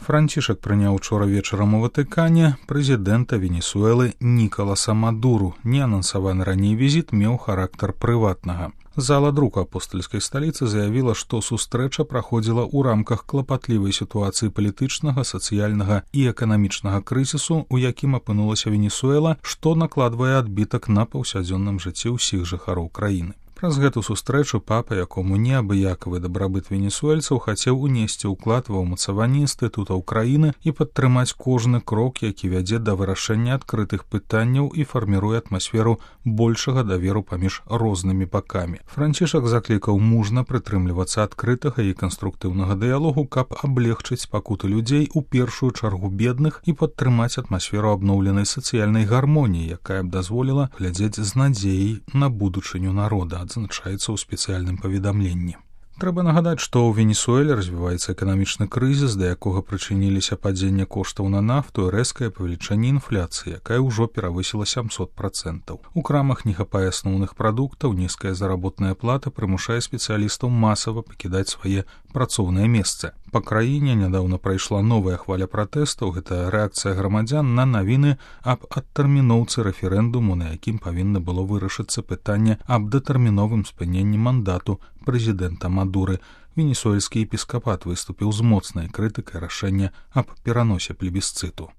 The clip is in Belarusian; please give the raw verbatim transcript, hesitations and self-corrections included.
Францішак прыняў учора вечарам у Ватыкане прэзідэнта Венесуэлы Нікаласа Мадуру. Неанансаваны раней візіт меў характар прыватнага. Зала друку апостальскай сталіцы заявіла, што сустрэча праходзіла ў рамках клапатлівай сітуацыі палітычнага, сацыяльнага і эканамічнага крызісу, у якім апынулася Венесуэла, што накладвае адбітак на паўсядзённым жыцці ўсіх жыхароў краіны. Праз гэту сустрэчу папа, якому неабыякавы дабрабыт венесуэльцаў, хацеў унесці ўклад ва ўмацаванне інстытутаў краіны і падтрымаць кожны крок, які вядзе да вырашэння адкрытых пытанняў і фарміруе атмасферу большага даверу паміж рознымі бакамі. Францішак заклікаў мужна прытрымлівацца адкрытага і канструктыўнага дыялогу, каб аблегчыць пакуты людзей, у першую чаргу бедных, і падтрымаць атмасферу абноўленай сацыяльнай гармоніі, якая б дазволіла глядзець з надзеяй на будучыню народа, адзначаецца ў спецыяльным паведамленні. Трэба нагадаць, што ў Венесуэле развіваецца эканамічны крызіс, да якога прычыніліся падзенне коштаў на нафту і рэзкае павелічэнне інфляцыі, якая ўжо перавысіла сямсот працэнтаў. У крамах не хапае асноўных прадуктаў, нізкая заработная плата прымушае спецыялістаў масава пакідаць свае працоўныя месцы. Па краіне нядаўна прайшла новая хваля пратэстаў. Гэта рэакцыя грамадзян на навіны аб адтэрміноўцы рэферэндуму, на якім павінна было вырашыцца пытанне аб датэрміновым спыненні мандату прэзідэнта Мадуры. Венесуэльскі епіскапат выступіў з моцнай крытыкай рашэння аб пераносе плебісцыту.